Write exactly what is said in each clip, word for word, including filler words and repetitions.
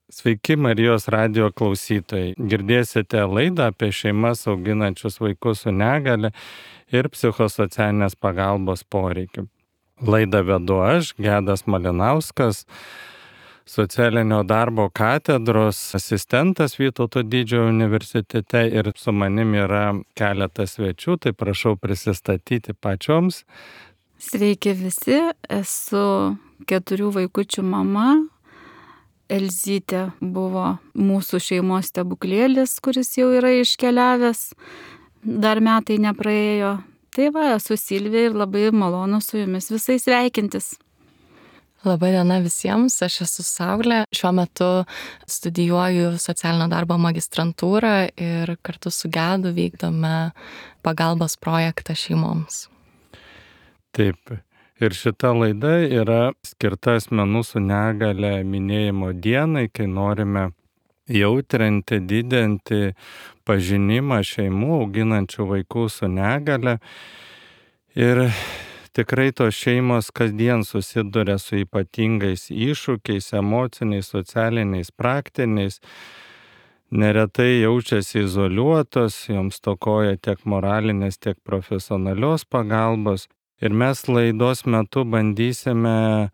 Sveiki Marijos radijo klausytojai. Girdėsite laidą apie šeimas auginančius vaikus su negale ir psichosocialinės pagalbos poreikiu. Laidą vedu aš, Gedas Malinauskas, socialinio darbo katedros asistentas Vytauto Didžiojo universitete, ir su manim yra keletas svečių, tai prašau prisistatyti pačioms. Sveiki visi, esu keturių vaikučių mama. Elzytė buvo mūsų šeimos stebuklėlis, kuris jau yra iškeliavęs, dar metai nepraėjo. Tai va, esu Silvija ir labai malonu su jumis visais sveikintis. Labai diena visiems, aš esu Saulė. Šiuo metu studijuoju socialinio darbo magistrantūrą ir kartu su Gedu vykdome pagalbos projektą šeimoms. Taip. Ir šita laida yra skirta asmenų su negale minėjimo dienai, kai norime jautrinti, didinti pažinimą šeimų auginančių vaikų su negale. Ir tikrai tos šeimos kasdien susiduria su ypatingais iššūkiais, emociniais, socialiniais, praktiniais. Neretai jaučiasi izoliuotos, joms stokoja tiek moralinės, tiek profesionalios pagalbos. Ir mes laidos metu bandysime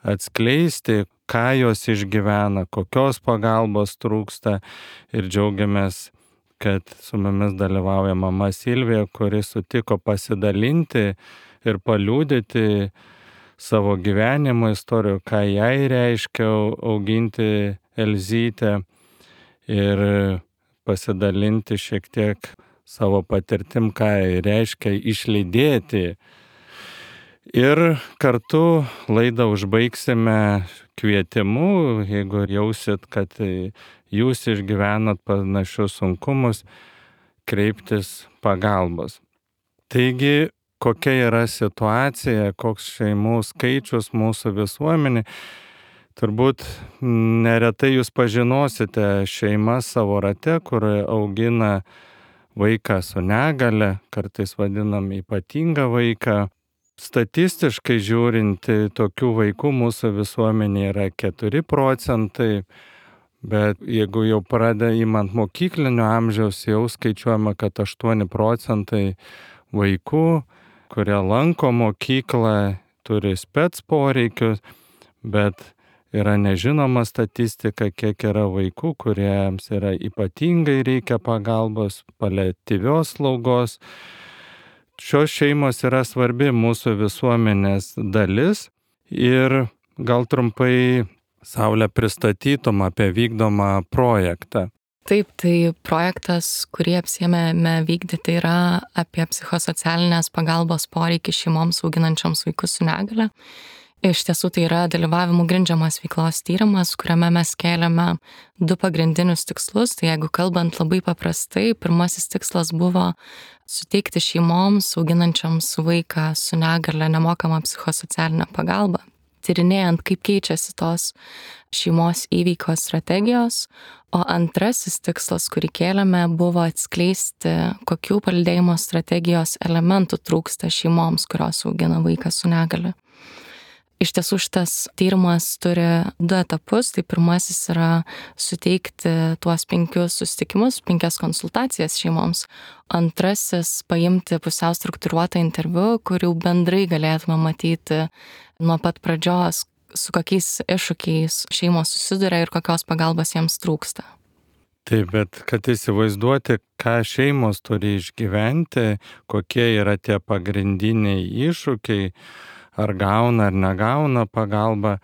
atskleisti, ką jos išgyvena, kokios pagalbos trūksta, ir džiaugiamės, kad su mumis dalyvauja mama Silvija, kuri sutiko pasidalinti ir paliudyti savo gyvenimo istorijų, ką jai reiškia auginti Elzytę, ir pasidalinti šiek tiek savo patirtim, ką reiškia išlydėti. Ir kartu laidą užbaigsime kvietimu, jeigu jausit, kad jūs išgyvenat panašius sunkumus, kreiptis pagalbos. Taigi, kokia yra situacija, koks šeimų skaičius mūsų visuomenė. Turbūt neretai jūs pažinosite šeimas savo rate, kur augina vaiką su negale, kartais vadinam ypatingą vaiką. Statistiškai žiūrint, tokių vaikų mūsų visuomenėje yra keturi procentai, bet jeigu jau pradeda imant mokyklinio amžiaus, jau skaičiuojama, kad aštuoni procentai vaikų, kurie lanko mokyklą, turi spec poreikius, bet yra nežinoma statistika, kiek yra vaikų, kuriems yra ypatingai reikia pagalbos, paliatyvios slaugos. Šios šeimos yra svarbi mūsų visuomenės dalis, ir gal trumpai Saulė pristatytum apie vykdomą projektą. Taip, tai projektas, kurį apsiėmėme vykdyti, yra apie psichosocialinės pagalbos poreikį šeimoms auginančioms vaikus su negale. Iš tiesų tai yra dalyvavimų grindžiamas veiklos tyrimas, kuriame mes kėlėme du pagrindinius tikslus. Tai jeigu kalbant labai paprastai, pirmasis tikslas buvo suteikti šeimoms auginančioms vaiką su negale nemokamą psichosocialinę pagalbą, tyrinėjant, kaip keičiasi tos šeimos įveikos strategijos. O antrasis tikslas, kurį kėlėme, buvo atskleisti, kokių palydėjimo strategijos elementų trūksta šeimoms, kurios augina vaiką su negale. Iš tiesų šitas tyrimas turi du etapus. Tai pirmasis yra suteikti tuos penkius susitikimus, penkias konsultacijas šeimoms. Antrasis paimti pusiau struktūruotą interviu, kur jau bendrai galėtume matyti nuo pat pradžios, su kokiais iššūkiais šeimos susiduria ir kokios pagalbos jiems trūksta. Taip, bet kad įsivaizduoti, ką šeimos turi išgyventi, kokie yra tie pagrindiniai iššūkiai, ar gauna ar negauna pagalbą,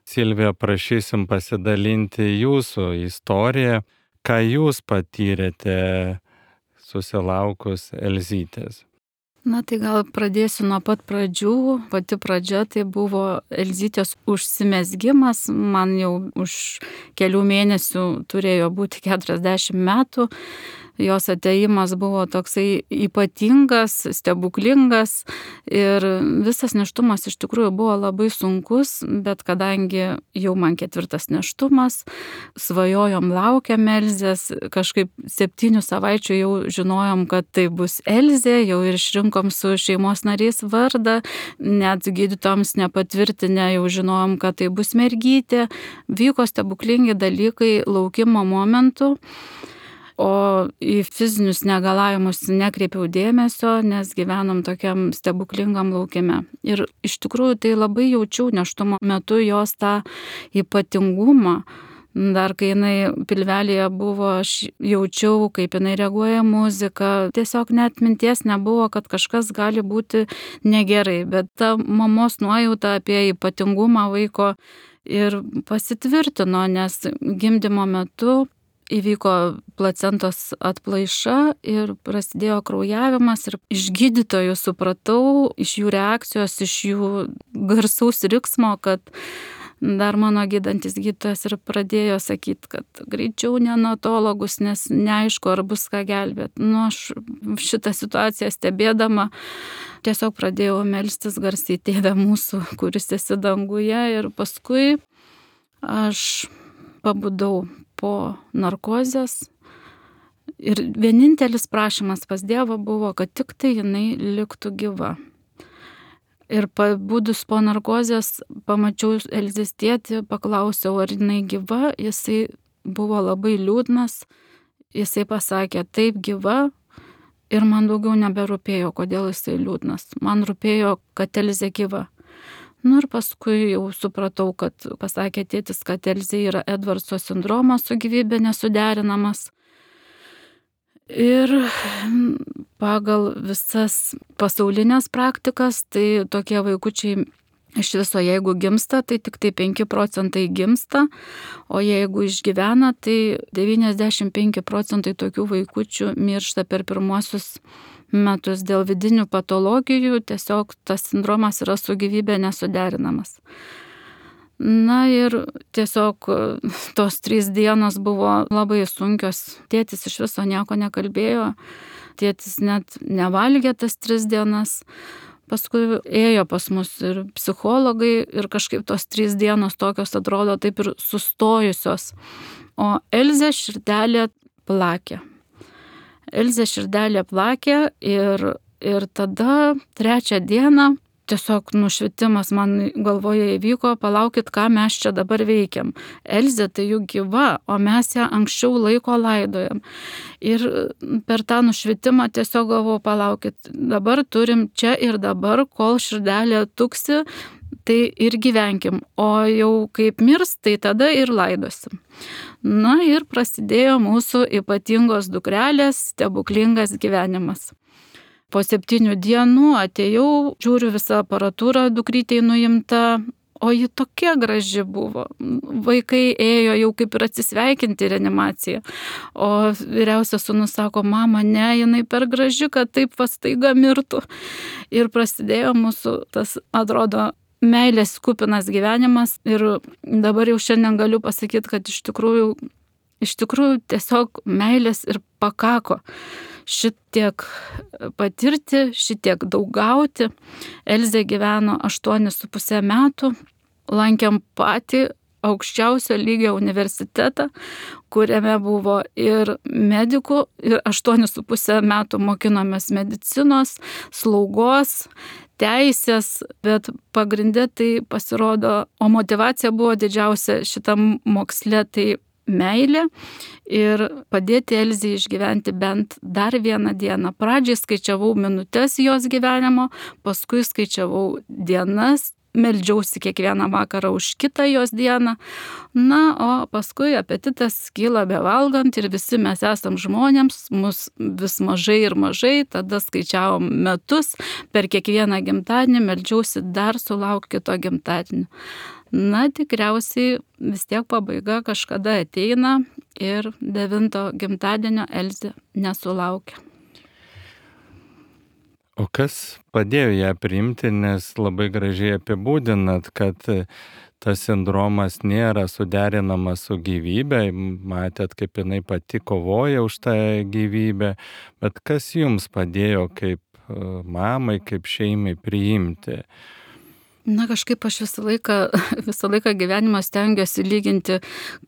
Silvija, prašysim pasidalinti jūsų istoriją, ką jūs patyrėte susilaukus Elzytės. Na tai gal pradėsiu nuo pat pradžių. Pati pradžia tai buvo Elzytės užsimezgimas. Man jau už kelių mėnesių turėjo būti keturiasdešimt metų. jos ateimas buvo toksai ypatingas, stebuklingas ir visas nėštumas iš tikrųjų buvo labai sunkus, bet kadangi jau man ketvirtas nėštumas, svajojom, laukiam Elzės, kažkaip septynių savaičių jau žinojom, kad tai bus Elzė, jau ir išrinkom su šeimos nariais vardą, net gydytojams nepatvirtinę, jau žinojom, kad tai bus mergytė, vyko stebuklingi dalykai laukimo momentu. O į fizinius negalavimus nekreipiau dėmesio, nes gyvenom tokiam stebuklingam laukime. Ir iš tikrųjų tai labai jaučiau nėštumo metu jos tą ypatingumą. Dar kai jinai pilvelėje buvo, aš jaučiau, kaip jinai reaguoja muziką. Tiesiog net minties nebuvo, kad kažkas gali būti negerai. Bet ta mamos nuojauta apie ypatingumą vaiko ir pasitvirtino, nes gimdymo metu įvyko placentos atplaiša ir prasidėjo kraujavimas ir iš gydytojų supratau, iš jų reakcijos, iš jų garsaus riksmo, kad dar mano gydantis gydytojas ir pradėjo sakyti, kad greičiau neonatologus, nes neaišku, ar bus ką gelbėti. Nu, aš šitą situaciją stebėdama tiesiog pradėjau melstis garsiai Tėve mūsų, kuris esi danguje, ir paskui aš pabudau po narkozės ir vienintelis prašymas pas Dievą buvo, kad tik tai jinai liktų gyva. Ir pabudus po narkozės pamačiau Elzės tėtį, paklausiau, ar jinai gyva, jisai buvo labai liūdnas, jisai pasakė, taip gyva, ir man daugiau neberūpėjo, kodėl jisai liūdnas. Man rūpėjo, kad Elzė gyva. Nu ir paskui jau supratau, kad pasakė tėtis, kad Elzė yra Edvardso sindromas su gyvybė nesuderinamas. Ir pagal visas pasaulinės praktikas, tai tokie vaikučiai iš viso, jeigu gimsta, tai tik tai penki procentai gimsta, o jeigu išgyvena, tai devyniasdešimt penki procentai tokių vaikučių miršta per pirmuosius metus dėl vidinių patologijų, tiesiog tas sindromas yra su gyvybė nesuderinamas. Na ir tiesiog tos trys dienos buvo labai sunkios. Tėtis iš viso nieko nekalbėjo, tėtis net nevalgė tas tris dienas. Paskui ėjo pas mus ir psichologai ir kažkaip tos trys dienos tokios atrodo taip ir sustojusios. O Elzė širdelė plakė. Elzė širdelė plakė ir, ir tada trečią dieną tiesiog nušvitimas man galvoje įvyko, palaukit, ką mes čia dabar veikiam. Elzė tai juk gyva, o mes ją anksčiau laiko laidojam. Ir per tą nušvitimą tiesiog galvojau, palaukit, dabar turim čia ir dabar, kol širdelė tuksi, tai ir gyvenkim. O jau kaip mirs, tai tada ir laidosim. Na ir prasidėjo mūsų ypatingos dukrelės stebuklingas gyvenimas. Po septynių dienų atėjau, žiūriu visą aparatūrą, dukrytei nuimta, o ji tokia graži buvo. Vaikai ėjo jau kaip ir atsisveikinti reanimaciją. O vyriausias sūnus sako, mama, ne, jinai per graži, kad taip staiga mirtų. Ir prasidėjo mūsų tas, atrodo, meilės kupinas gyvenimas. Ir dabar jau šiandien galiu pasakyti, kad iš tikrųjų, iš tikrųjų tiesiog meilės ir pakako. Šitiek patirti, šitiek daug gauti. Elzė gyveno aštuonis su pusę metų, lankėm patį aukščiausio lygio universitetą, kuriame buvo ir medikų, ir aštuonis su pusę metų mokinomės medicinos, slaugos, teisės, bet pagrindė tai pasirodo, o motyvacija buvo didžiausia šitam moksle, tai meilė ir padėti Elzei išgyventi bent dar vieną dieną. Pradžiai skaičiavau minutės jos gyvenimo, paskui skaičiavau dienas, meldžiausi kiekvieną vakarą už kitą jos dieną. Na, o paskui apetitas kyla bevalgant ir visi mes esam žmonėms, mus vis mažai ir mažai, tada skaičiavom metus, per kiekvieną gimtadienį meldžiausi dar sulaukti kito gimtadienio. Na, tikriausiai vis tiek pabaiga kažkada ateina ir devinto gimtadienio Elzė nesulaukė. O kas padėjo ją priimti, nes labai gražiai apibūdinat, kad tas sindromas nėra suderinamas su gyvybė, matėt, kaip jinai pati kovoja už tą gyvybę, bet kas jums padėjo kaip mamai, kaip šeimai priimti? Na, kažkaip aš visą laiką, visą laiką gyvenimą stengiuosi lyginti,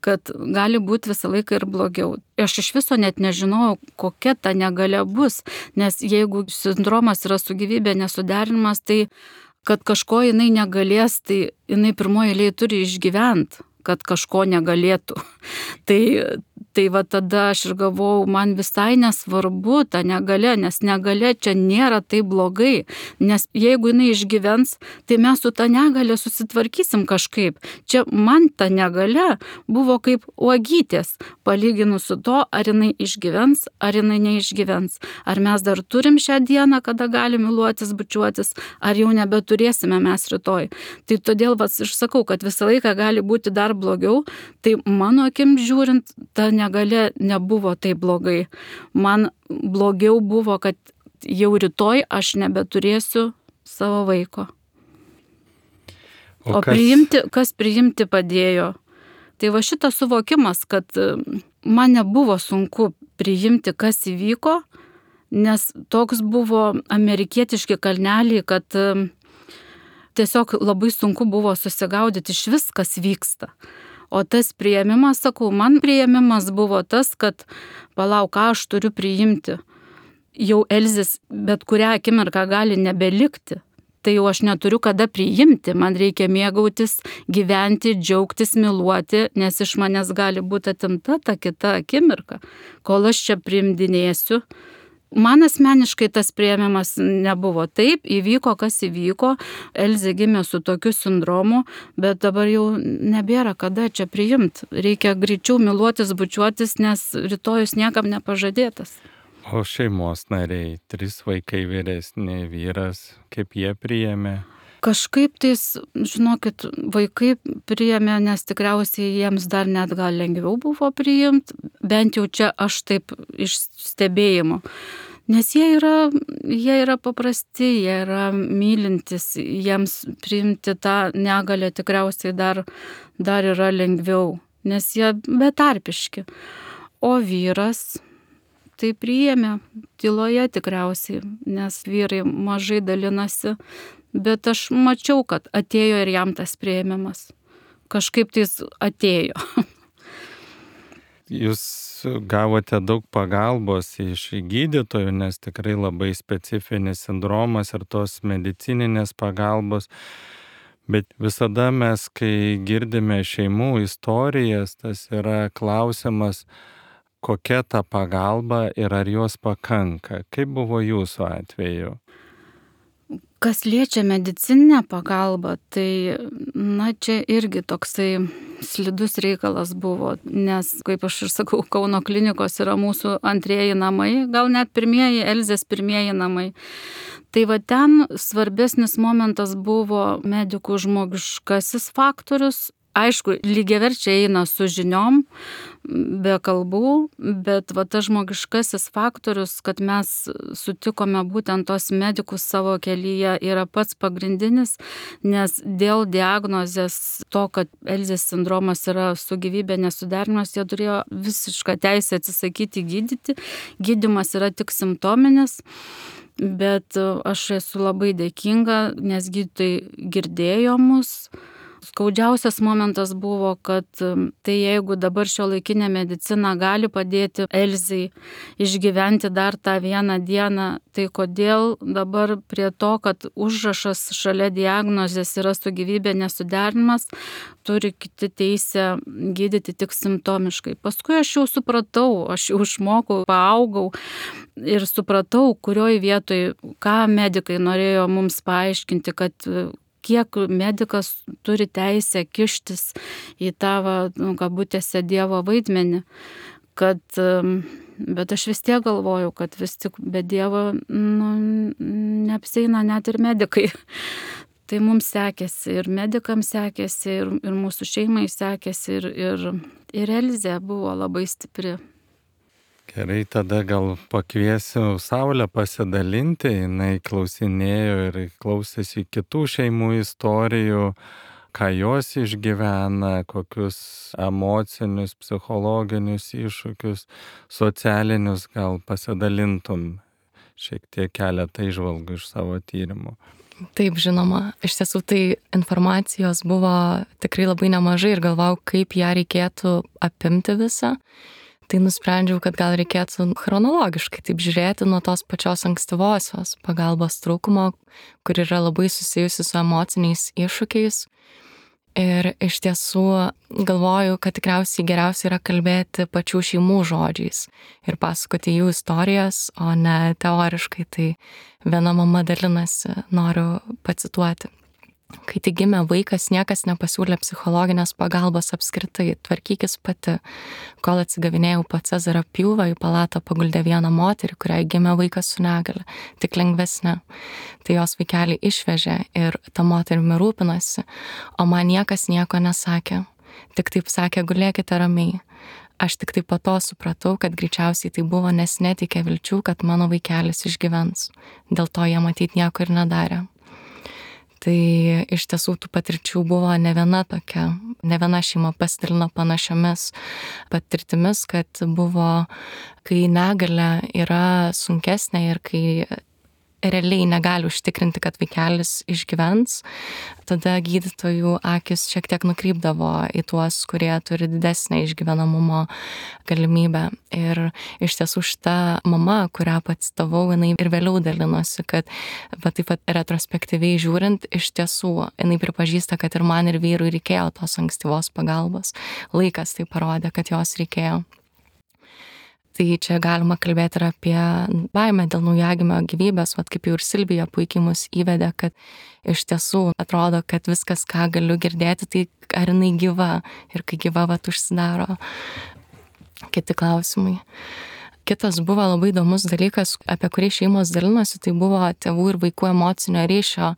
kad gali būti visą laiką ir blogiau. Aš iš viso net nežinojau, kokia ta negalia bus, nes jeigu sindromas yra su gyvybė nesuderinimas, tai kad kažko jinai negalės, tai jinai pirmoji eilėje turi išgyventi, kad kažko negalėtų. Tai, tai va tada aš ir galvojau, man visai nesvarbu ta negalia, nes negalia čia nėra taip blogai, nes jeigu jinai išgyvens, tai mes su ta negalia susitvarkysim kažkaip. Čia man ta negalia buvo kaip uogytės, palyginus su to, ar jinai išgyvens, ar jinai neišgyvens. Ar mes dar turim šią dieną, kada galim myluotis, bučiuotis, ar jau nebeturėsime mes rytoj. Tai todėl vas aš sakau, kad visą laiką gali būti dar blogiau, tai mano akim žiūrint, ta negalia nebuvo taip blogai. Man blogiau buvo, kad jau rytoj aš nebeturėsiu savo vaiko. O, o kas... priimti, kas priimti padėjo? Tai va šitas suvokimas, kad man nebuvo sunku priimti, kas įvyko, nes toks buvo amerikietiški kalneliai, kad tiesiog labai sunku buvo susigaudyti iš vis, kas vyksta. O tas priėmimas, sakau, man priėmimas buvo tas, kad palauk, ką aš turiu priimti. Jau Elzės bet kurią akimirką gali nebelikti. Tai jau aš neturiu kada priimti. Man reikia mėgautis, gyventi, džiaugtis, myluoti, nes iš manęs gali būti atimta ta kita akimirka. Kol aš čia priimdinėsiu. Man asmeniškai tas priėmimas nebuvo. Taip, įvyko, kas įvyko. Elzė gimė su tokiu sindromu, bet dabar jau nebėra kada čia priimti. Reikia greičiau myluotis, bučiuotis, nes rytojus niekam nepažadėtas. O šeimos nariai, trys vaikai vyresni, vyras, kaip jie priėmė? Kažkaip tais, žinokit, vaikai priėmė, nes tikriausiai jiems dar net gal lengviau buvo priimti, bent jau čia aš taip iš stebėjimo. Nes jie yra, jie yra paprasti, jie yra mylintis, jiems priimti tą negalę tikriausiai dar, dar yra lengviau, nes jie betarpiški. O vyras tai priėmė tyloje tikriausiai, nes vyrai mažai dalinasi. Bet aš mačiau, kad atėjo ir jam tas priėmimas. Kažkaip tais atėjo. Jūs gavote daug pagalbos iš gydytojų, nes tikrai labai specifinis sindromas ir tos medicininės pagalbos. Bet visada mes, kai girdime šeimų istorijas, tas yra klausimas, kokia ta pagalba ir ar jos pakanka. Kaip buvo jūsų atveju? Kas liečia medicininę pagalbą, tai na čia irgi toksai slidus reikalas buvo, nes, kaip aš ir sakau, Kauno klinikos yra mūsų antrieji namai, gal net pirmieji, Elzės pirmieji namai. Tai va ten svarbesnis momentas buvo medikų žmogiškasis faktorius. Aišku, lygiaverčiai eina su žiniom, be kalbų, bet va tas žmogiškasis faktorius, kad mes sutikome būtent tos medikus savo kelyje, yra pats pagrindinis, nes dėl diagnozės to, kad Elzės sindromas yra su gyvybė nesuderinimas, jie turėjo visišką teisę atsisakyti gydyti. Gydymas yra tik simptominis. Bet aš esu labai dėkinga, nes gydytojai girdėjo mus. Skaudžiausias momentas buvo, kad tai jeigu dabar šiuolaikinė medicina gali padėti Elzei išgyventi dar tą vieną dieną, tai kodėl dabar prie to, kad užrašas šalia diagnozės yra su gyvybė nesuderinimas, turi kiti teisę gydyti tik simptomiškai. Paskui aš jau supratau, aš jau išmokau, paaugau ir supratau, kurioj vietoj, ką medikai norėjo mums paaiškinti, kad kiek medikas turi teisę kištis į tavo, nu, kabutėse, Dievo vaidmenį, kad, bet aš vis tiek galvojau, kad vis tik be Dievo nu, neapsieina net ir medikai. Tai mums sekėsi, ir medikams sekėsi, ir, ir mūsų šeimai sekėsi, ir, ir, ir Elzė buvo labai stipri. Gerai, tada gal pakviesiu Saulę pasidalinti, jinai klausinėjo ir klausėsi kitų šeimų istorijų, ką jos išgyvena, kokius emocinius, psichologinius iššūkius, socialinius, gal pasidalintum šiek tiek keletą įžvalgų iš savo tyrimų. Taip, žinoma. Iš tiesų tai informacijos buvo tikrai labai nemažai ir galvau, kaip ją reikėtų apimti visą. Tai nusprendžiau, kad gal reikėtų chronologiškai taip žiūrėti nuo tos pačios ankstyvosios pagalbos trūkumo, kur yra labai susijusi su emociniais iššūkiais. Ir iš tiesų galvoju, kad tikriausiai geriausia yra kalbėti pačių šeimų žodžiais ir pasakoti jų istorijas, o ne teoriškai. Tai viena mama dalinasi, noriu pacituoti. Kai tik gimė vaikas, niekas nepasiūlė psichologinės pagalbos apskritai, tvarkykis pati. Kol atsigavinėjau po Cezario pjūvą, į palatą paguldė vieną moterį, kuriai gimė vaikas su negalia, tik lengvesnė. Tai jos vaikelį išvežė ir ta moterimi rūpinasi, o man niekas nieko nesakė. Tik taip sakė, gulėkite ramiai. Aš tik taip po to supratau, kad greičiausiai tai buvo, nes netikė vilčių, kad mano vaikelis išgyvens. Dėl to jie matyt nieko ir nedarė. Tai iš tiesų tų patirčių buvo ne viena tokia, ne viena šeima pasidalino panašiomis patirtimis, kad buvo, kai negalia yra sunkesnė ir kai realiai negali užtikrinti, kad vaikelis išgyvens, tada gydytojų akis šiek tiek nukrypdavo į tuos, kurie turi didesnę išgyvenamumo galimybę. Ir iš tiesų šita mama, kurią pacitavau, jinai ir vėliau dalinosi, kad va, taip pat retrospektyviai žiūrint, iš tiesų jinai pripažįsta, kad ir man ir vyrui reikėjo tos ankstyvos pagalbos. Laikas tai parodė, kad jos reikėjo. Tai čia galima kalbėti ir apie baimę dėl naujagimio gyvybės, vat kaip jau ir Silvija puikiai mus įvedė, kad iš tiesų atrodo, kad viskas, ką galiu girdėti, tai ar jinai gyva ir kai gyva, vat užsidaro kiti klausimai. Kitas buvo labai įdomus dalykas, apie kurį šeimos dalinosi, tai buvo tėvų ir vaikų emocinio ryšio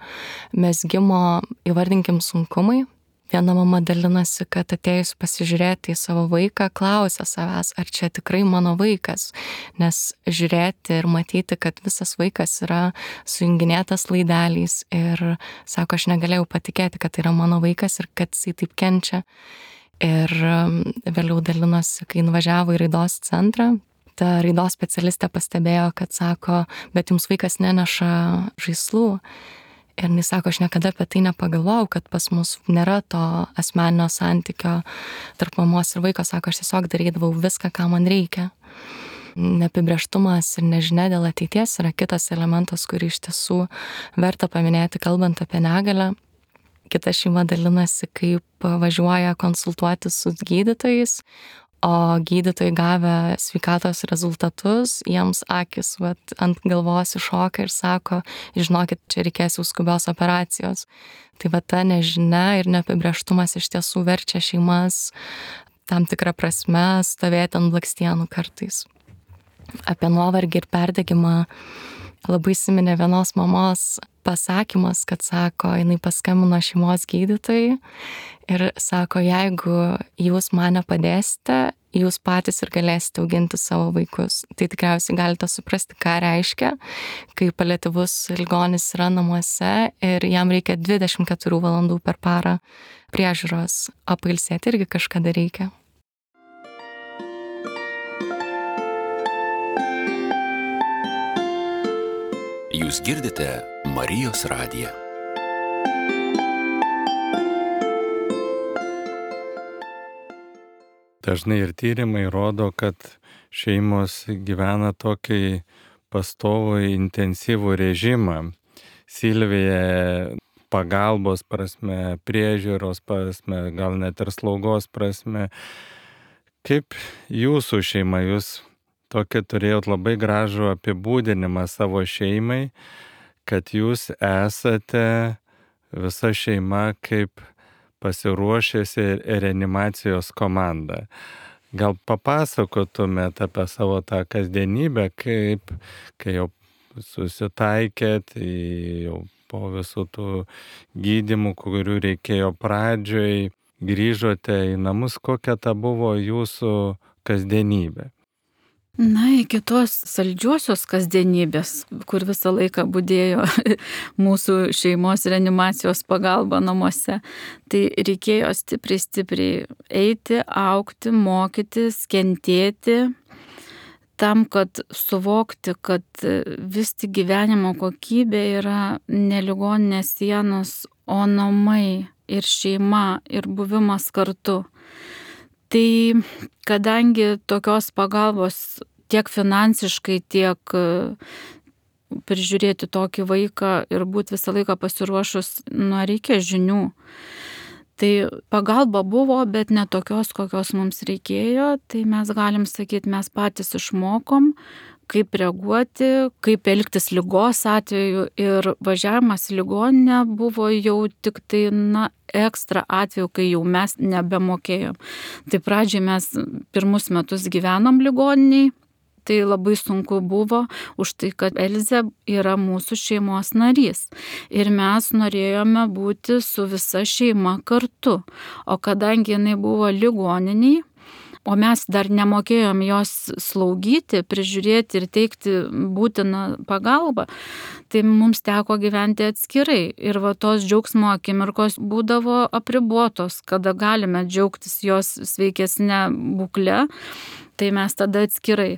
mezgimo, įvardinkim, sunkumai. Viena mama dalinasi, kad atėjus pasižiūrėti į savo vaiką, klausia savęs, ar čia tikrai mano vaikas, nes žiūrėti ir matyti, kad visas vaikas yra sujunginėtas laideliais ir sako, aš negalėjau patikėti, kad tai yra mano vaikas ir kad jisai taip kenčia. Ir vėliau dalinosi, kai nuvažiavo į raidos centrą, ta raidos specialistė pastebėjo, kad sako, bet jums vaikas neneša žaislų. Ir jis sako, aš niekada apie tai nepagalvojau, kad pas mus nėra to asmeninio santykio tarp mamos ir vaiko. Sako, aš tiesiog darydavau viską, ką man reikia. Neapibrėžtumas ir nežinia dėl ateities yra kitas elementas, kurį iš tiesų verta paminėti, kalbant apie negalią. Kita šeima dalinasi, kaip važiuoja konsultuoti su gydytojais, o gydytojai gavę sveikatos rezultatus, jiems akis vat, ant galvos iššoka ir sako, žinokit, čia reikės jau skubios operacijos. Tai va ta nežinia ir neapibrėžtumas iš tiesų verčia šeimas tam tikrą prasme stovėti ant blakstienų kartais. Apie nuovargį ir perdegimą labai įsiminė vienos mamos pasakymas, kad sako, jinai paskambino šeimos gydytojai ir sako, jeigu jūs man nepadėsite, jūs patys ir galėsite auginti savo vaikus. Tai tikriausiai galite suprasti, ką reiškia, kai paliatyvus ligonis yra namuose ir jam reikia dvidešimt keturių valandų per parą priežiūros, o pailsėti irgi kažkada reikia. Jūs girdite Marijos radiją. Dažnai ir tyrimai rodo, kad šeimos gyvena tokį pastovų intensyvų režimą. Silvija pagalbos prasme, priežiūros prasme, gal net ir slaugos prasme. Kaip jūsų šeima, jūs tokį turėjot labai gražų apibūdinimą savo šeimai, kad jūs esate visa šeima kaip pasiruošėsi reanimacijos komanda. Gal papasakotumėt apie savo tą kasdienybę, kaip, kai jau susitaikėt, jau po visų tų gydymų, kurių reikėjo pradžioj, grįžote į namus, kokia ta buvo jūsų kasdienybė? Na, iki tos saldžiosios kasdienybės, kur visą laiką budėjo mūsų šeimos reanimacijos pagalba namuose, tai reikėjo stipriai, stipriai eiti, augti, mokytis, kentėti, tam, kad suvokti, kad vis tik gyvenimo kokybė yra ne ligoninės sienos, o namai ir šeima ir buvimas kartu. Tai kadangi tokios pagalbos tiek finansiškai, tiek prižiūrėti tokį vaiką ir būti visą laiką pasiruošus, nu, reikia žinių. Tai pagalba buvo, bet ne tokios, kokios mums reikėjo, tai mes galim sakyti, mes patys išmokom, kaip reaguoti, kaip elgtis ligos atveju, ir važiavimas į ligoninę buvo jau tik tai, na, ekstra atveju, kai jau mes nebemokėjom. Tai pradžiai mes pirmus metus gyvenom ligoniniai, tai labai sunku buvo už tai, kad Elzė yra mūsų šeimos narys. Ir mes norėjome būti su visa šeima kartu. O kadangi jinai buvo ligoniniai, o mes dar nemokėjom jos slaugyti, prižiūrėti ir teikti būtiną pagalbą, tai mums teko gyventi atskirai. Ir va tos džiaugsmo akimirkos būdavo apribotos, kada galime džiaugtis jos sveikesnė būklė, tai mes tada atskirai.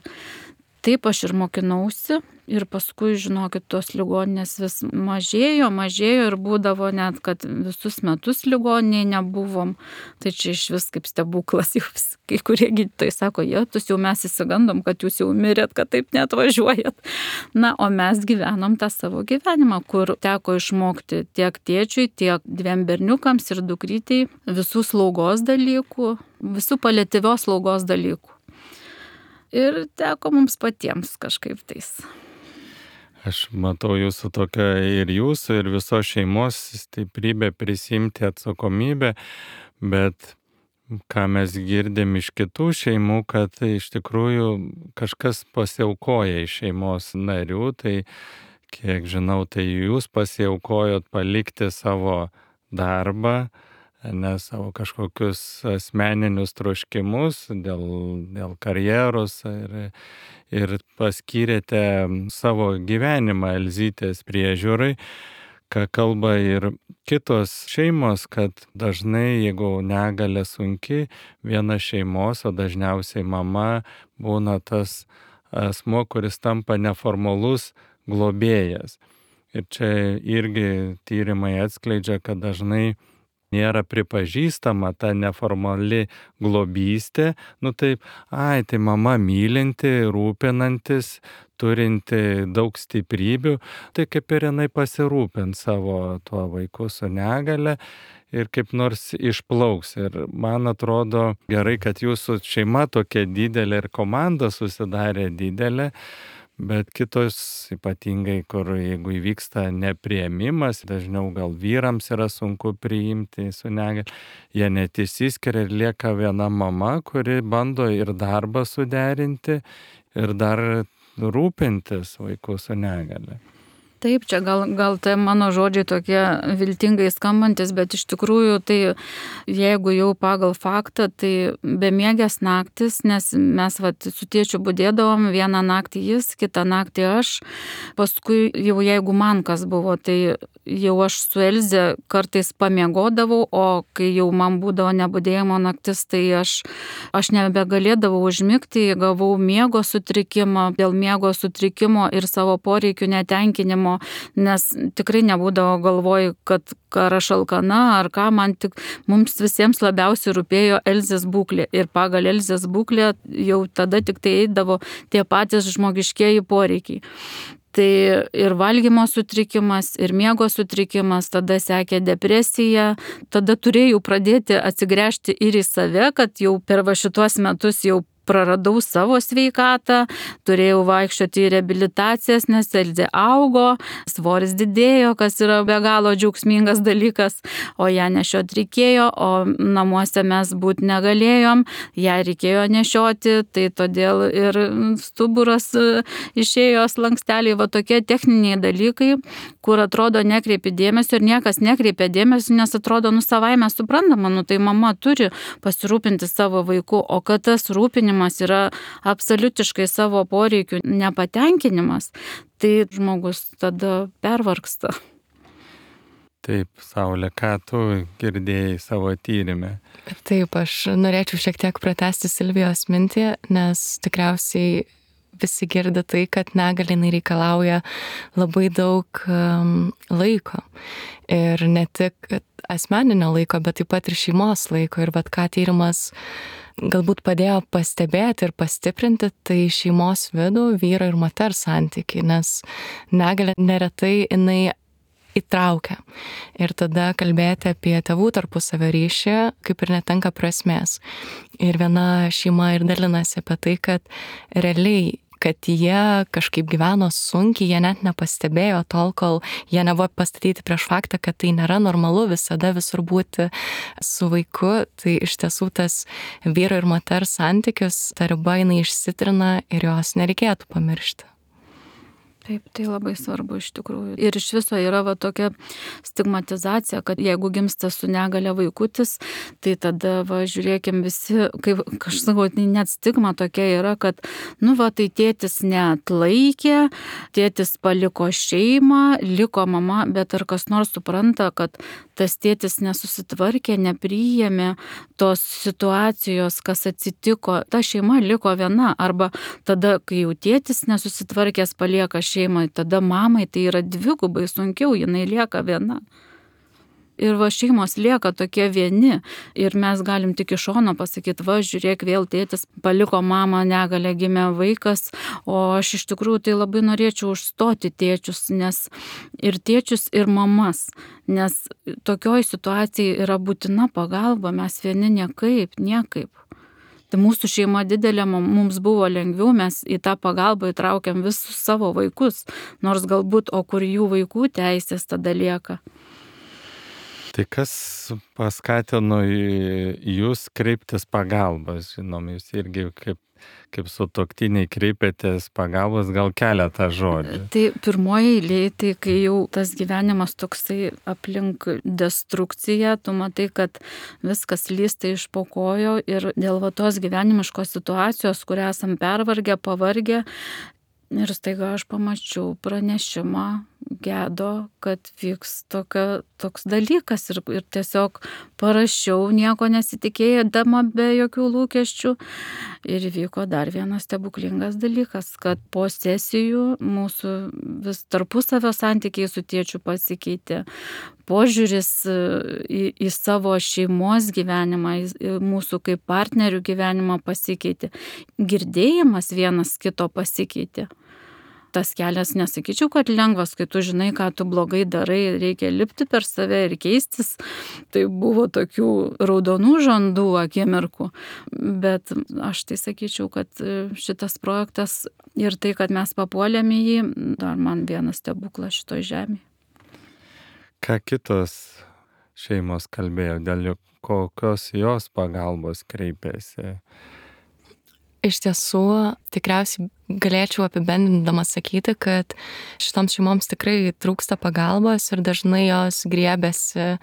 Taip aš ir mokinausi ir paskui, žinokit, tos ligoninės vis mažėjo, mažėjo ir būdavo net, kad visus metus ligoniniai nebuvom. Tai čia iš vis kaip stebuklas, jau kai kurie gydytojai sako, jėtus jau mes įsigandom, kad jūs jau mirėt, kad taip neatvažiuojat. Na, o mes gyvenom tą savo gyvenimą, kur teko išmokti tiek tėčiui, tiek dviem berniukams ir dukrytei visų slaugos dalykų, visų paliatyvios slaugos dalykų. Ir teko mums patiems kažkaip tais. Aš matau jūsų tokią ir jūsų, ir visos šeimos stiprybę prisimti atsakomybę, bet ką mes girdim iš kitų šeimų, kad iš tikrųjų kažkas pasiaukoja iš šeimos narių, tai kiek žinau, tai jūs pasiaukojot palikti savo darbą, ne savo kažkokius asmeninius troškimus dėl, dėl karjeros ir, ir paskyrėte savo gyvenimą Elzytės priežiūrai, ką kalba ir kitos šeimos, kad dažnai, jeigu negalia sunki, viena šeimos, o dažniausiai mama, būna tas asmo, kuris tampa neformalus globėjas. Ir čia irgi tyrimai atskleidžia, kad dažnai nėra pripažįstama ta neformali globystė, nu taip, ai, tai mama mylinti, rūpinantis, turinti daug stiprybių, tai kaip ir jinai pasirūpint savo tuo vaiku su negale ir kaip nors išplauks. Ir man atrodo gerai, kad jūsų šeima tokia didelė ir komanda susidarė didelė, bet kitos ypatingai, kur jeigu įvyksta nepriėmimas, dažniau gal vyrams yra sunku priimti su negalia, jie net išsiskiria ir lieka viena mama, kuri bando ir darbą suderinti ir dar rūpintis vaiku su negalia. Taip, čia gal, gal tai mano žodžiai tokie viltingai skambantis, bet iš tikrųjų tai jeigu jau pagal faktą, tai bemiegės naktis, nes mes vat, su tėčiu budėdavom, vieną naktį jis, kitą naktį aš, paskui jau jeigu man kas buvo, tai jau aš su Elze kartais pamiegodavau, o kai jau man būdavo nebudėjimo naktis, tai aš, aš nebegalėdavau užmigti, gavau miego sutrikimą, dėl miego sutrikimo ir savo poreikių netenkinimo, nes tikrai nebūdavo galvoj, kad ar aš alkana, ar ką, man tik, mums visiems labiausiai rūpėjo Elzės būklė ir pagal Elzės būklę jau tada tik tai eidavo tie patys žmogiškieji poreikiai. Tai ir valgymo sutrikimas, ir miego sutrikimas, tada sekė depresija, tada turėjau pradėti atsigręžti ir į save, kad jau per va šitos metus jau praradau savo sveikatą, turėjau vaikščioti į reabilitacijas, nes Elzė augo, svoris didėjo, kas yra be galo džiaugsmingas dalykas, o ją nešiot reikėjo, o namuose mes būti negalėjom, ją reikėjo nešioti, tai todėl ir stuburas išėjo slanksteliai, va tokie techniniai dalykai, kur atrodo nekreipi dėmesio ir niekas nekreipia dėmesio, nes atrodo, nu savaime suprantama, nu tai mama turi pasirūpinti savo vaiku, o kad tas rūpinimas pyktinimas yra absoliutiškai savo poreikių nepatenkinimas, tai žmogus tada pervargsta. Taip, Saulė, ką tu girdėjai savo tyrimę? Taip, aš norėčiau šiek tiek pratęsti Silvijos mintį, nes tikriausiai visi girdi tai, kad negalia jinai reikalauja labai daug um, laiko. Ir ne tik asmeninio laiko, bet taip pat ir šeimos laiko. Ir vat ką tyrimas galbūt padėjo pastebėti ir pastiprinti, tai šeimos vidų, vyro ir moters santykiai, nes negalia neretai jinai įtraukia. Ir tada kalbėti apie tėvų tarpusavio ryšį kaip ir netenka prasmės. Ir viena šeima ir dalinasi apie tai, kad realiai, kad jie kažkaip gyveno sunkiai, jie net nepastebėjo tol, kol jie nebuvo pastatyti prieš faktą, kad tai nėra normalu visada visur būti su vaiku. Tai iš tiesų tas vyro ir moters santykius, ta riba jinai išsitrina ir jos nereikėtų pamiršti. Taip, tai labai svarbu iš tikrųjų. Ir iš viso yra va tokia stigmatizacija, kad jeigu gimsta su negalia vaikutis, tai tada, va, žiūrėkim visi, kaip aš sakau, net stigma tokia yra, kad, nu, va, tai tėtis neatlaikė, tėtis paliko šeimą, liko mama, bet ar kas nors supranta, kad tas tėtis nesusitvarkė, nepriėmė tos situacijos, kas atsitiko, ta šeima liko viena, arba tada, kai jau tėtis nesusitvarkęs palieka šeimą, tada mamai tai yra dvigubai sunkiau, jinai lieka viena. Ir va šeimos lieka tokie vieni ir mes galim tik iš šono pasakyti, va žiūrėk, vėl tėtis paliko mamą, negalia gimė vaikas, o aš iš tikrųjų tai labai norėčiau užstoti tėčius, nes ir tėčius, ir mamas, nes tokioj situacijai yra būtina pagalba, mes vieni niekaip, niekaip. Tai mūsų šeima didelė, mums buvo lengviau, mes į tą pagalbą įtraukiam visus savo vaikus, nors galbūt, o kur jų vaikų teisės tada lieka. Tai kas paskatino jūs kreiptis pagalbos, žinom, jūs irgi kaip, kaip sutuoktiniai kreipėtės pagalbos, gal keletą žodžių. Tai pirmoji eilė, tai kai jau tas gyvenimas toksai aplink destrukciją, tu matai, kad viskas lysta iš po kojo ir dėl va tos gyvenimiškos situacijos, kurią esam pervargę, pavargę, ir staiga aš pamačiau pranešimą Gedo, kad vyks tokia, toks dalykas ir, ir tiesiog parašiau, nieko nesitikėjama be jokių lūkesčių. Ir vyko dar vienas stebuklingas dalykas, kad po sesijų mūsų vis tarpusavio santykiai su tėčiu pasikeitė. Požiūris į, į savo šeimos gyvenimą, į mūsų kaip partnerių gyvenimą pasikeitė. Girdėjimas vienas kito pasikeitė. Tas kelias, nesakyčiau, kad lengvas, kai tu žinai, ką tu blogai darai, reikia lipti per save ir keistis. Tai buvo tokių raudonų žandų akimirkų. Bet aš tai sakyčiau, kad šitas projektas ir tai, kad mes papuolėme į jį, dar man vienas stebuklas šitoj žemėje. Ką kitos šeimos kalbėjo, dėl kokios jos pagalbos kreipėsi? Iš tiesų, tikriausiai galėčiau apibendrindama sakyti, kad šitoms šeimoms tikrai trūksta pagalbos ir dažnai jos griebėsi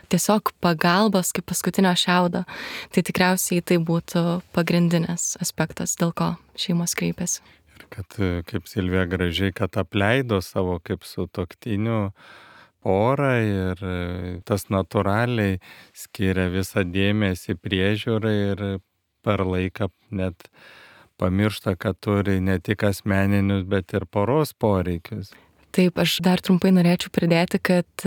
tiesiog pagalbos kaip paskutinio šiaudo. Tai tikriausiai tai būtų pagrindinės aspektas, dėl ko šeimos kreipiasi. Ir kad, kaip Silvija gražiai, kad apleido savo kaip sutuoktinių porą ir tas natūraliai skiria visą dėmesį priežiūrai ir per laiką net pamiršta, kad turi ne tik asmeninius, bet ir poros poreikius. Taip, aš dar trumpai norėčiau pridėti, kad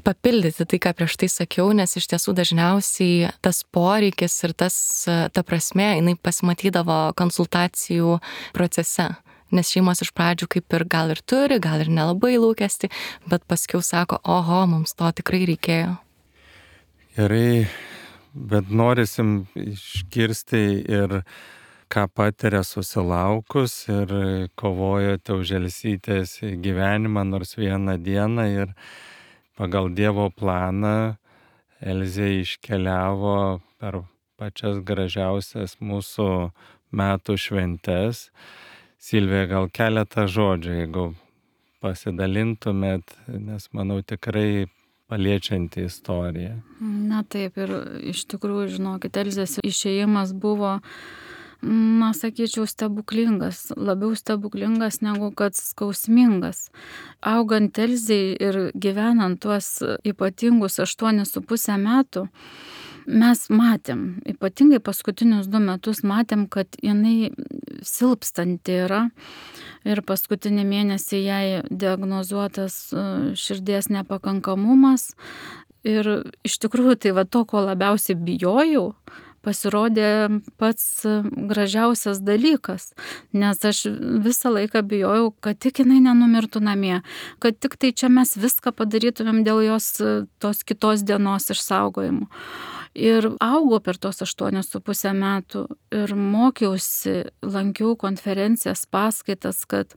papildyti tai, ką prieš tai sakiau, nes iš tiesų dažniausiai tas poreikis ir tas, ta prasmė, jinai pasimatydavo konsultacijų procese. Nes šeimos iš pradžių kaip ir gal ir turi, gal ir nelabai lūkesti, bet paskiau sako, oho, mums to tikrai reikėjo. Gerai. Bet norisim išgirsti ir ką patiria susilaukus ir kovojate už Elzytės gyvenimą nors vieną dieną ir pagal Dievo planą Elzė iškeliavo per pačias gražiausias mūsų metų šventes. Silvija, gal keletą žodžių, jeigu pasidalintumėt, nes manau tikrai paliečianti istorija. Na taip, ir iš tikrųjų, žinokit, Elzės išėjimas buvo na, sakyčiau, stebuklingas, labiau stebuklingas negu kad skausmingas. Augant Elzei ir gyvenant tuos ypatingus aštuonis su pusę metų, mes matėm, ypatingai paskutinius du metus matėm, kad jinai silpstanti yra ir paskutinį mėnesį jai diagnozuotas širdies nepakankamumas. Ir iš tikrųjų tai va to, ko labiausiai bijojau, pasirodė pats gražiausias dalykas, nes aš visą laiką bijojau, kad tik jinai nenumirtų namie, kad tik tai čia mes viską padarytumėm dėl jos tos kitos dienos išsaugojimo. Ir augau per tos aštuonis su pusę metų ir mokiausi, lankiau konferencijas, paskaitas, kad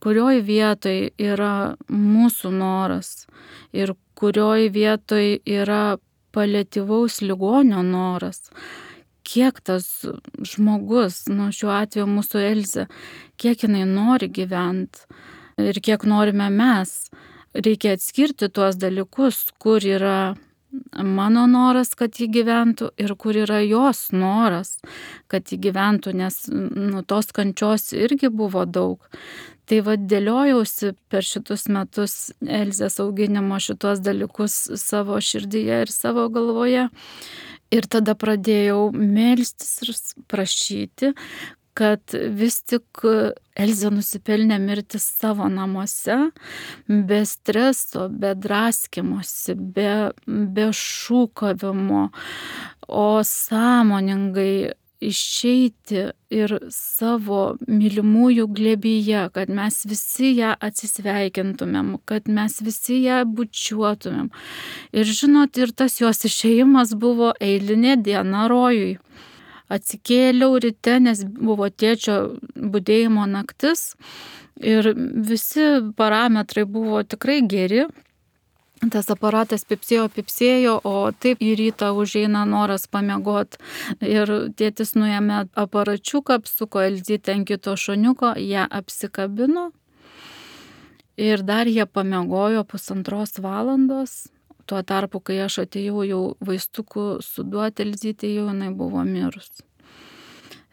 kurioj vietoj yra mūsų noras ir kurioj vietoj yra paliatyvaus ligonio noras. Kiek tas žmogus, nu šiuo atveju mūsų Elzė, kiek jinai nori gyventi ir kiek norime mes. Reikia atskirti tuos dalykus, kur yra mano noras, kad ji gyventų ir kur yra jos noras, kad ji gyventų, nes nu, tos kančios irgi buvo daug. Tai vad dėliojausi per šitus metus Elzės auginimo šitos dalykus savo širdyje ir savo galvoje. Ir tada pradėjau melstis ir prašyti, kad vis tik Elzė nusipelnė mirti savo namuose, be streso, be draskimosi, be, be šūkavimo, o sąmoningai išeiti ir savo mylimųjų glėbyje, kad mes visi ją atsisveikintumėm, kad mes visi ją bučiuotumėm. Ir žinot, ir tas jos išėjimas buvo eilinė diena rojui. Atsikėliau ryte, nes buvo tėčio budėjimo naktis ir visi parametrai buvo tikrai geri. Tas aparatas pipsėjo, pipsėjo, o taip į rytą užeina noras pamiegot. Ir tėtis nuėmė aparačiuką, apsuko Elzytę ant kito šoniuko, ją apsikabino ir dar jie pamiegojo pusantros valandos. Tuo tarpu, kai aš atėjau jau vaistukų suduoti Elzytei, jau jinai buvo mirus.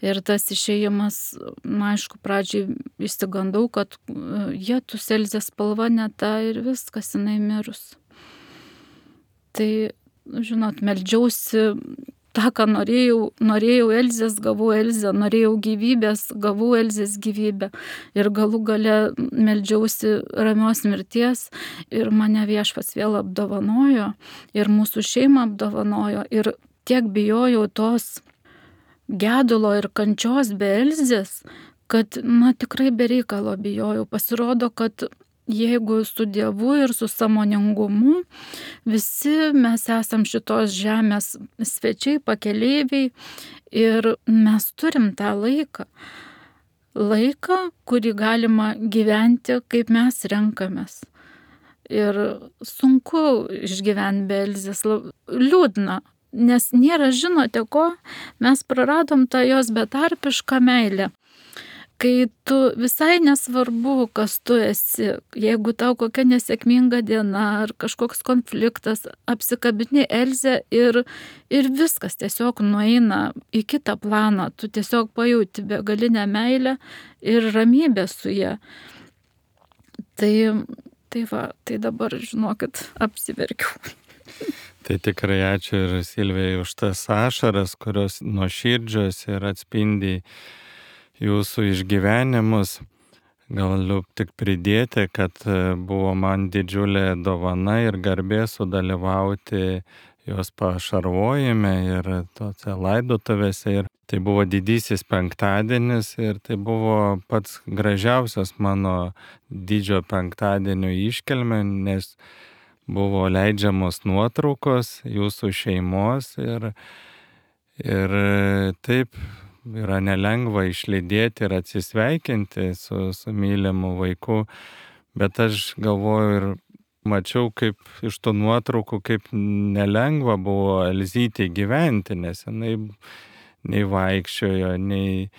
Ir tas išėjimas, na, aišku, pradžiai išsigandau, kad jie tu Elzės spalva ne ta ir viskas, jinai mirus. Tai, žinot, meldžiausi tą, ką norėjau, norėjau Elzės, gavau Elzę, norėjau gyvybės, gavau Elzės gyvybę. Ir galų gale meldžiausi ramios mirties ir mane Viešpats vėl apdovanojo ir mūsų šeimą apdovanojo. Ir tiek bijojau tos gedulo ir kančios be Elzės, kad, na, tikrai be reikalo bijojau. Pasirodo, kad jeigu su Dievu ir su sąmoningumu, visi mes esam šitos žemės svečiai, pakeleiviai ir mes turim tą laiką. Laiką, kurį galima gyventi, kaip mes renkamės. Ir sunku išgyventi be Elzės, liūdna, nes nėra, žinote ko, mes praradom tą jos betarpišką meilę. Kai tu visai nesvarbu, kas tu esi, jeigu tau kokia nesėkminga diena ar kažkoks konfliktas, apsikabini Elzę ir, ir viskas tiesiog nueina į kitą planą, tu tiesiog pajauti begalinę meilę ir ramybę su ja. Tai, tai va, tai dabar, žinokit, apsiverkiau. Tai tikrai ačiū ir Silvijai už tas ašaras, kurios nuoširdžios ir atspindi jūsų išgyvenimus. Galiu tik pridėti, kad buvo man didžiulė dovana ir garbė sudalyvauti jos pašarvojime ir tose laidotuvėse. Ir tai buvo didysis penktadienis ir tai buvo pats gražiausias mano didžio penktadienio iškilmė, nes buvo leidžiamos nuotraukos jūsų šeimos ir, ir taip yra nelengva išlydėti ir atsisveikinti su, su mylimu vaiku, bet aš galvoju ir mačiau, kaip iš tų nuotraukų, kaip nelengva buvo Elzytei gyventi, nes jinai nei vaikščiojo, nei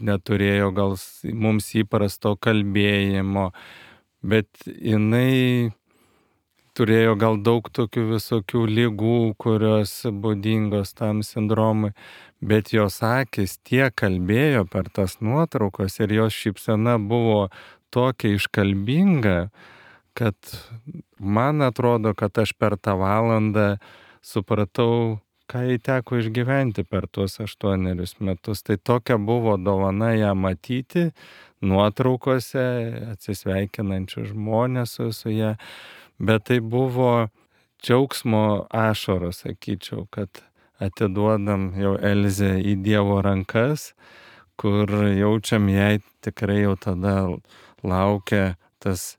neturėjo gal mums įprasto kalbėjimo, bet jinai turėjo gal daug tokių visokių ligų, kurios būdingos tam sindromui, bet jos akis tiek kalbėjo per tas nuotraukas ir jos šypsena buvo tokia iškalbinga, kad man atrodo, kad aš per tą valandą supratau, ką jai teko išgyventi per tuos aštuonerius metus. Tai tokia buvo dovana ją matyti nuotraukose, atsisveikinančių žmonės su, su ją, bet tai buvo džiaugsmo ašaros, sakyčiau, kad atiduodam jau Elzę į Dievo rankas, kur jaučiam jai tikrai jau tada laukia tas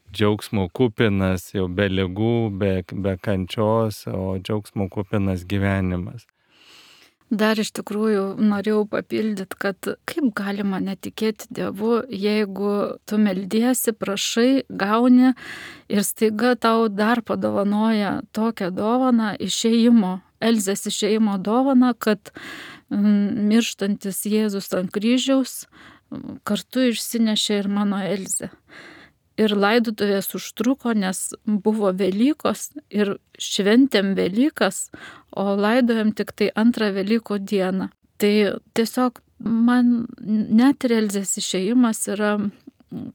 džiaugsmo kupinas, jau be ligų, be, be kančios, o džiaugsmo kupinas gyvenimas. Dar iš tikrųjų norėjau papildyti, kad kaip galima netikėti Dievu, jeigu tu meldiesi, prašai, gauni ir staiga tau dar padovanoja tokią dovaną išėjimo, Elzės išėjimo dovaną, kad mirštantis Jėzus ant kryžiaus kartu išsinešė ir mano Elzę. Ir laidotuvės užtruko, nes buvo Velykos ir šventėm Velykas, o laidojom tik tai antrą Velykų dieną. Tai tiesiog man net ir Elzės išėjimas yra,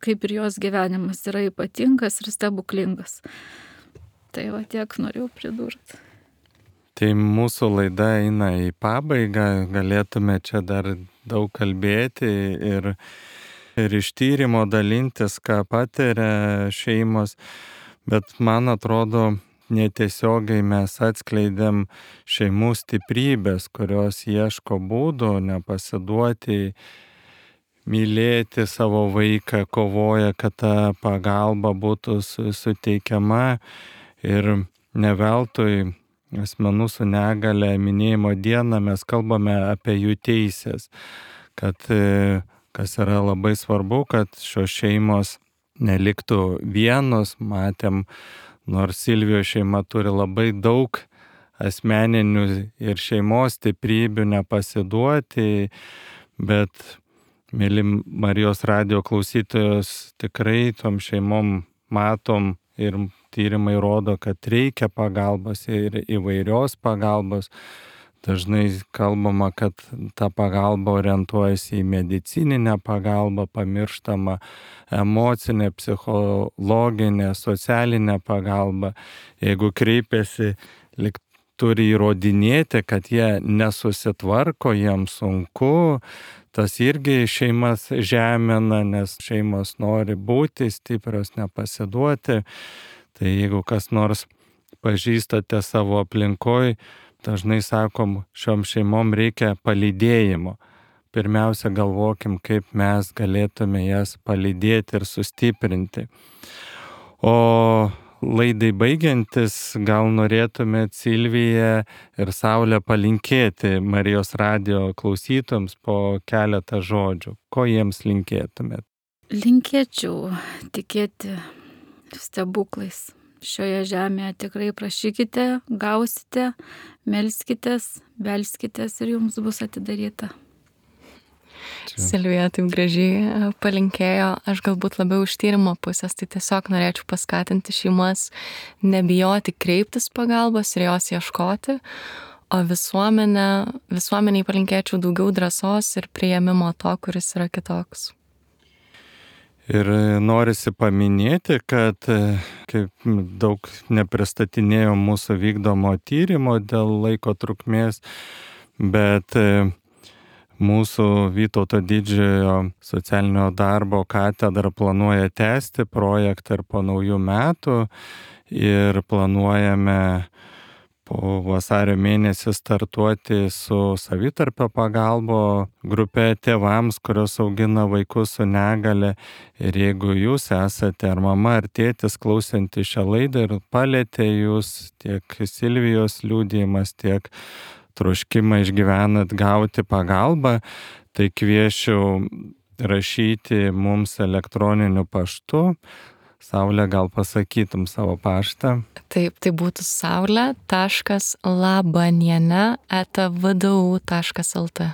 kaip ir jos gyvenimas, yra ypatingas ir stebuklingas. Tai va tiek norėjau pridurti. Tai mūsų laida eina į pabaigą, galėtume čia dar daug kalbėti ir ir iš tyrimo dalintis, ką patiria šeimos, bet man atrodo, netiesiogiai mes atskleidėm šeimų stiprybės, kurios ieško būdų nepasiduoti, mylėti savo vaiką, kovoja, kad ta pagalba būtų suteikiama ir ne veltui asmenų su negale minėjimo dieną mes kalbame apie jų teisės, kad kas yra labai svarbu, kad šios šeimos neliktų vienos. Matėm, nors Silvijos šeima turi labai daug asmeninių ir šeimos stiprybių nepasiduoti, bet, mėly Marijos radijo klausytojos, tikrai tom šeimom matom ir tyrimai rodo, kad reikia pagalbos ir įvairios pagalbos. Dažnai kalbama, kad ta pagalba orientuojasi į medicininę pagalbą, pamirštama emocinė, psichologinė, socialinė pagalba. Jeigu kreipiasi, lyg turi įrodinėti, kad jie nesusitvarko, jiems sunku, tas irgi šeimas žemina, nes šeimos nori būti stiprios, nepasiduoti. Tai jeigu kas nors pažįstate savo aplinkoj, dažnai sakom, šiom šeimom reikia palydėjimo. Pirmiausia, galvokim, kaip mes galėtume jas palydėti ir sustiprinti. O laidai baigiantis, gal norėtumėt Silviją ir Saulę palinkėti Marijos radijo klausytojams po keletą žodžių. Ko jiems linkėtumėt? Linkėčiau tikėti stebuklais. Šioje žemėje tikrai prašykite, gausite, melskitės, belskitės ir jums bus atidaryta. Čia. Silvija taip gražiai palinkėjo, aš galbūt labiau iš tyrimo pusės, tai tiesiog norėčiau paskatinti šeimas nebijoti kreiptis pagalbos ir jos ieškoti, o visuomenę, visuomeniai palinkėčiau daugiau drąsos ir priėmimo to, kuris yra kitoks. Ir norisi paminėti, kad kaip daug nepristatinėjo mūsų vykdomo tyrimo dėl laiko trukmės, bet mūsų Vytauto Didžiojo socialinio darbo katedra planuoja tęsti projektą ir po naujų metų ir planuojame po vasario mėnesį startuoti su savitarpio pagalbo grupe tėvams, kurios augina vaikus su negale. Ir jeigu jūs esate ar mama, ar tėtis klausanti šią laidą ir palėtė jūs tiek Silvijos liudijimas, tiek troškimą išgyvenat gauti pagalbą, tai kviečiu rašyti mums elektroniniu paštu. Saulė, gal pasakytum savo paštą? Taip, tai būtų saulė taškas labaniene eta v d u taškas l t.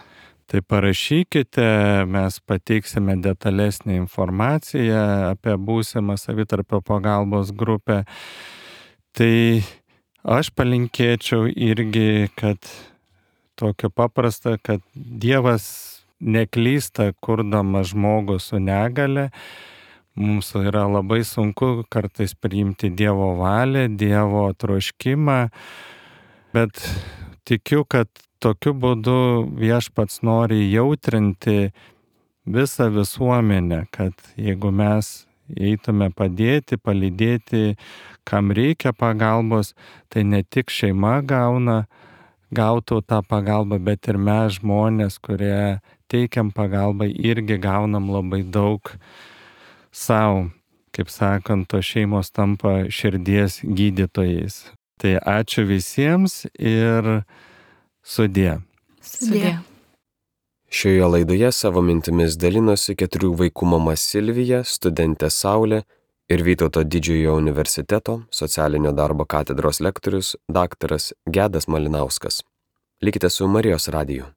Tai parašykite, mes pateiksime detalesnį informaciją apie būsimą savitarpio pagalbos grupę. Tai aš palinkėčiau irgi, kad tokio paprasta, kad Dievas neklysta, kurdamas žmogų su negale. Mums yra labai sunku kartais priimti Dievo valią, Dievo troškimą, bet tikiu, kad tokiu būdu Viešpats nori jautrinti visą visuomenę, kad jeigu mes eitume padėti, palydėti, kam reikia pagalbos, tai ne tik šeima gauna, gautų tą pagalbą, bet ir mes žmonės, kurie teikiam pagalbą, irgi gaunam labai daug savo. Kaip sakant, to šeimos tampa širdies gydytojais. Tai ačiū visiems ir sudie. Sudie. Šioje laidoje savo mintimis dalinosi keturių vaikų mama Silvija, studentė Saulė ir Vytauto Didžiojo universiteto socialinio darbo katedros lektorius daktaras Gedas Malinauskas. Likite su Marijos radiju.